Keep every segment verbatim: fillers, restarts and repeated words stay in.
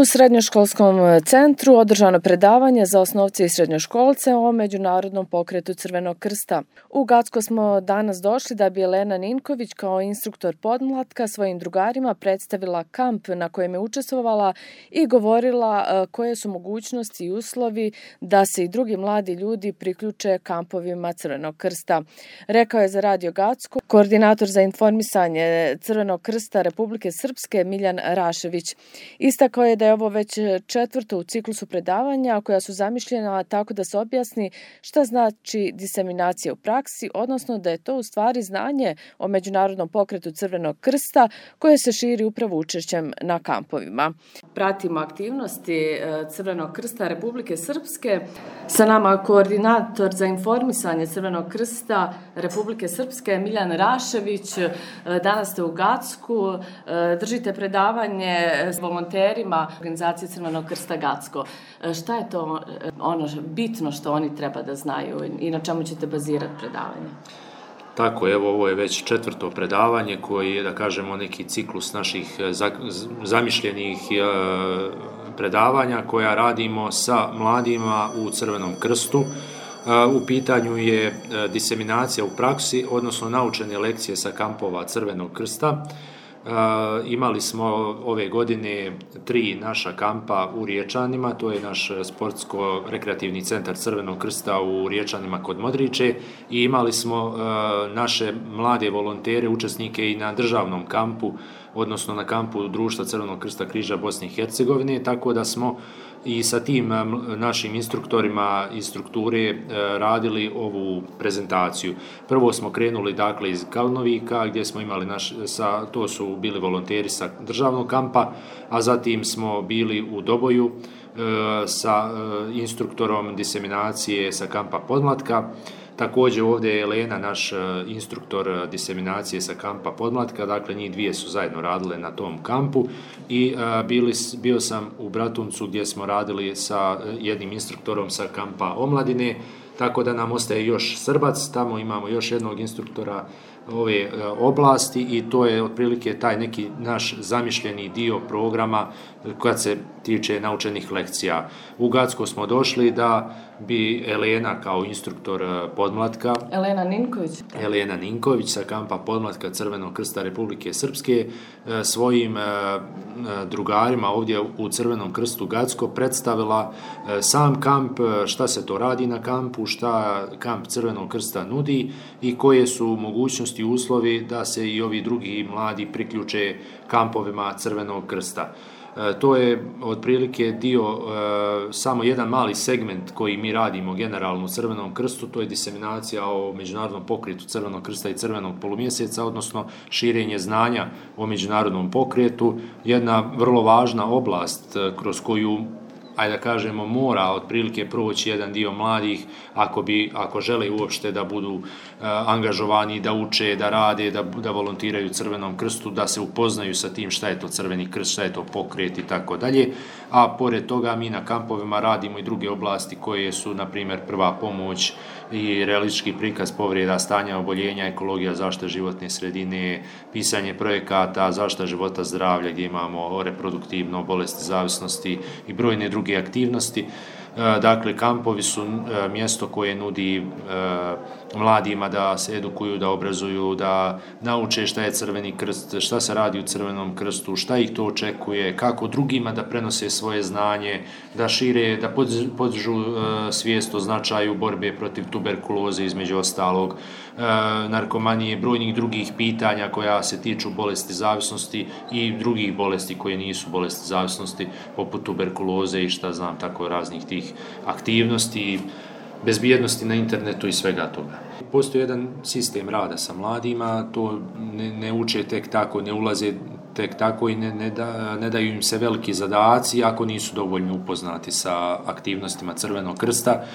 U srednjoškolskom centru održano predavanje za osnovce i srednjoškolce o Međunarodnom pokretu Crvenog krsta. U Gacko smo danas došli da bi Elena Ninković kao instruktor podmlatka svojim drugarima predstavila kamp na kojem je učestvovala i govorila koje su mogućnosti i uslovi da se i drugi mladi ljudi priključe kampovima Crvenog krsta. Rekao je za Radio Gacko koordinator za informisanje Crvenog krsta Republike Srpske Miljan Rašević. Istakao je da je ovo već četvrto u ciklusu predavanja koja su zamišljena tako da se objasni šta znači diseminacija u praksi, odnosno da je to u stvari znanje o Međunarodnom pokretu Crvenog krsta koje se širi upravo učešćem na kampovima. Pratimo aktivnosti Crvenog krsta Republike Srpske. Sa nama koordinator za informisanje Crvenog krsta Republike Srpske Miljan Rašević. Danas ste u Gacku, držite predavanje s volonterima organizacije Crvenog krsta Gacko. Šta je to ono bitno što oni treba da znaju i na čemu ćete bazirati predavanje? Tako, evo, ovo je već četvrto predavanje koji je, da kažemo, neki ciklus naših zamišljenih predavanja koja radimo sa mladima u Crvenom krstu. U pitanju je diseminacija u praksi, odnosno naučene lekcije sa kampova Crvenog krsta. Uh, imali smo ove godine tri naša kampa u Riječanima, to je naš sportsko-rekreativni centar Crvenog krsta u Riječanima kod Modriče i imali smo uh, naše mlade volontere, učesnike i na državnom kampu, odnosno na kampu Društva Crvenog krsta križa Bosne i Hercegovine, tako da smo i sa tim našim instruktorima iz strukture radili ovu prezentaciju. Prvo smo krenuli dakle iz Kalnovika gdje smo imali naš, sa, to su bili volonteri sa državnog kampa, a zatim smo bili u Doboju sa instruktorom diseminacije sa kampa Podmlatka. Također ovdje je Elena, naš instruktor diseminacije sa kampa Podmlatka, dakle njih dvije su zajedno radile na tom kampu i bili, bio sam u Bratuncu gdje smo radili sa jednim instruktorom sa kampa Omladine, tako da nam ostaje još Srbac, tamo imamo još jednog instruktora ove oblasti i to je otprilike taj neki naš zamišljeni dio programa kad se tiče naučenih lekcija. U Gacko smo došli da bi Elena kao instruktor podmlatka, Elena Ninković, Elena Ninković sa kampa podmlatka Crvenog krsta Republike Srpske svojim drugarima ovdje u Crvenom krstu Gacko predstavila sam kamp, šta se to radi na kampu, šta kamp Crvenog krsta nudi i koje su mogućnosti i uslovi da se i ovi drugi mladi priključe kampovima Crvenog krsta. To je otprilike dio, samo jedan mali segment koji mi radimo generalno u Crvenom krstu, to je diseminacija o Međunarodnom pokretu Crvenog krsta i Crvenog polumjeseca, odnosno širenje znanja o Međunarodnom pokretu, jedna vrlo važna oblast kroz koju, ajde da kažemo, mora otprilike proći jedan dio mladih ako bi, ako žele uopšte da budu uh, angažovani, da uče, da rade, da, da volontiraju Crvenom krstu, da se upoznaju sa tim šta je to Crveni krst, šta je to pokret i tako dalje. A pored toga mi na kampovima radimo i druge oblasti koje su, na primjer, prva pomoć i realistički prikaz povreda, stanja oboljenja, ekologija, zaštita životne sredine, pisanje projekata, zaštita života zdravlja gdje imamo reproduktivno, bolesti zavisnosti i brojne druge aktivnosti. Dakle, kampovi su mjesto koje nudi mladima da se edukuju, da obrazuju, da nauče šta je Crveni krst, šta se radi u Crvenom krstu, šta ih to očekuje, kako drugima da prenose svoje znanje, da šire, da podižu svijest o značaju borbe protiv tuberkuloze, između ostalog, narkomanije, brojnih drugih pitanja koja se tiču bolesti zavisnosti i drugih bolesti koje nisu bolesti zavisnosti, poput tuberkuloze i šta znam, tako raznih tih aktivnosti, bezbjednosti na internetu i svega toga. Postoji jedan sistem rada sa mladima, to ne, ne uče tek tako, ne ulaze tek tako i ne, ne, da, ne daju im se veliki zadaci ako nisu dovoljno upoznati sa aktivnostima Crvenog krsta. E,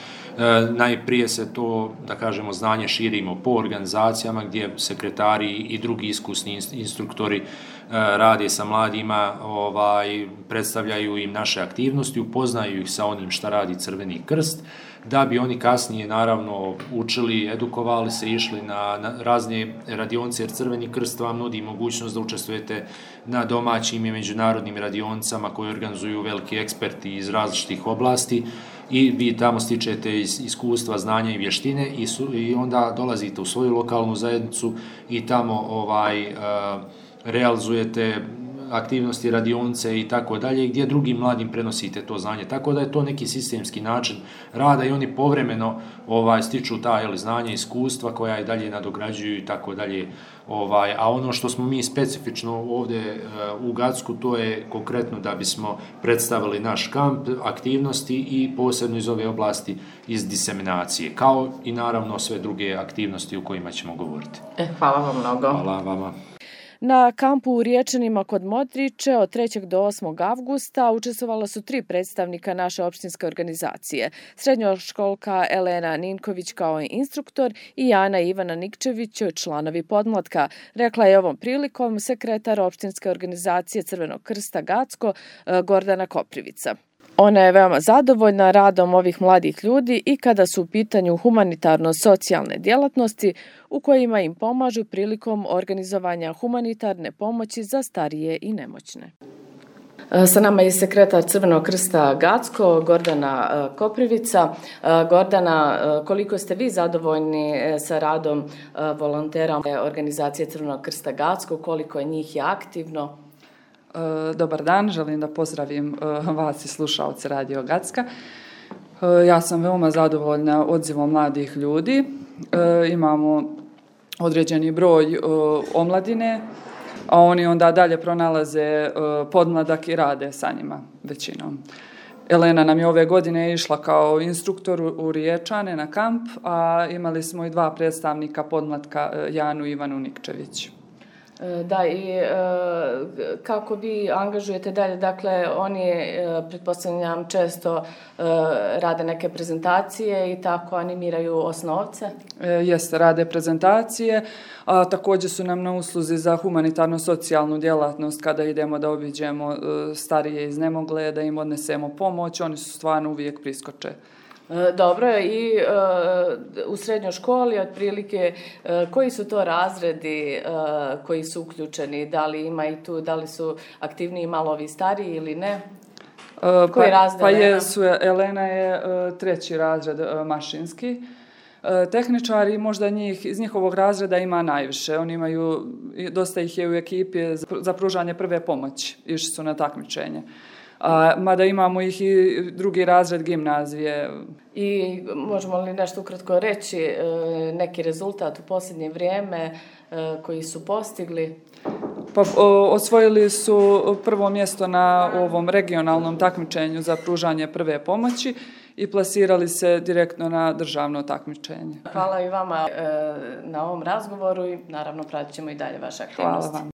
najprije se to, da kažemo, znanje širimo po organizacijama gdje sekretari i drugi iskusni instruktori rade sa mladima, ovaj, predstavljaju im naše aktivnosti, upoznaju ih sa onim šta radi Crveni krst, da bi oni kasnije naravno učili, edukovali se, išli na, na razne radionce, jer Crveni krst vam nudi mogućnost da učestvujete na domaćim i međunarodnim radioncama koje organizuju veliki eksperti iz različitih oblasti i vi tamo stičete iz, iskustva, znanja i vještine i, su, i onda dolazite u svoju lokalnu zajednicu i tamo ovaj, uh, realizujete aktivnosti, radionce i tako dalje, gdje drugim mladim prenosite to znanje. Tako da je to neki sistemski način rada i oni povremeno ovaj, stiču ta jel, znanje, iskustva koja i dalje nadograđuju i tako dalje. Ovaj, a ono što smo mi specifično ovdje uh, u Gacku, to je konkretno da bismo predstavili naš kamp, aktivnosti i posebno iz ove oblasti iz diseminacije, kao i naravno sve druge aktivnosti u kojima ćemo govoriti. E, hvala vam mnogo. Hvala vama. Na kampu u Riječanima kod Modriče od trećeg do osmog avgusta učestvovala su tri predstavnika naše opštinske organizacije. Srednjoškolka Elena Ninković kao instruktor i Jana i Ivana Nikčević, članovi podmlatka, rekla je ovom prilikom sekretar opštinske organizacije Crvenog krsta Gacko Gordana Koprivica. Ona je veoma zadovoljna radom ovih mladih ljudi i kada su u pitanju humanitarno-socijalne djelatnosti u kojima im pomažu prilikom organizovanja humanitarne pomoći za starije i nemoćne. Sa nama je sekretar Crvenog krsta Gacko, Gordana Koprivica. Gordana, koliko ste vi zadovoljni sa radom volontera organizacije Crvenog krsta Gacko, koliko je njih je aktivno? Dobar dan, želim da pozdravim vas i slušalce Radio Gacka. Ja sam veoma zadovoljna odzivom mladih ljudi. Imamo određeni broj omladine, a oni onda dalje pronalaze podmladak i rade sa njima većinom. Elena nam je ove godine išla kao instruktor u Riječane na kamp, a imali smo i dva predstavnika podmlatka, Janu i Ivanu Nikčević. Da, i e, kako vi angažujete dalje, dakle, oni, e, pretpostavljam, često e, rade neke prezentacije i tako animiraju osnovce? E, jeste, rade prezentacije, a također su nam na usluzi za humanitarno-socijalnu djelatnost kada idemo da obiđemo e, starije iznemogle, da im odnesemo pomoć, oni su stvarno uvijek priskoče. Dobro, i e, u srednjoj školi otprilike e, koji su to razredi e, koji su uključeni, da li ima i tu, da li su aktivniji malo ovi stariji ili ne? E, koji pa, razred pa Elena? Jesu, Elena je e, treći razred e, mašinski. E, tehničari možda njih, iz njihovog razreda ima najviše. Oni imaju, dosta ih je u ekipi za, za pružanje prve pomoći, išli su na takmičenje. A, mada imamo ih i drugi razred gimnazije. I možemo li nešto ukratko reći, neki rezultat u posljednje vrijeme koji su postigli? Pa, o, osvojili su prvo mjesto na ovom regionalnom takmičenju za pružanje prve pomoći i plasirali se direktno na državno takmičenje. Hvala i vama na ovom razgovoru i naravno pratit ćemo i dalje vaše aktivnosti. Hvala vam.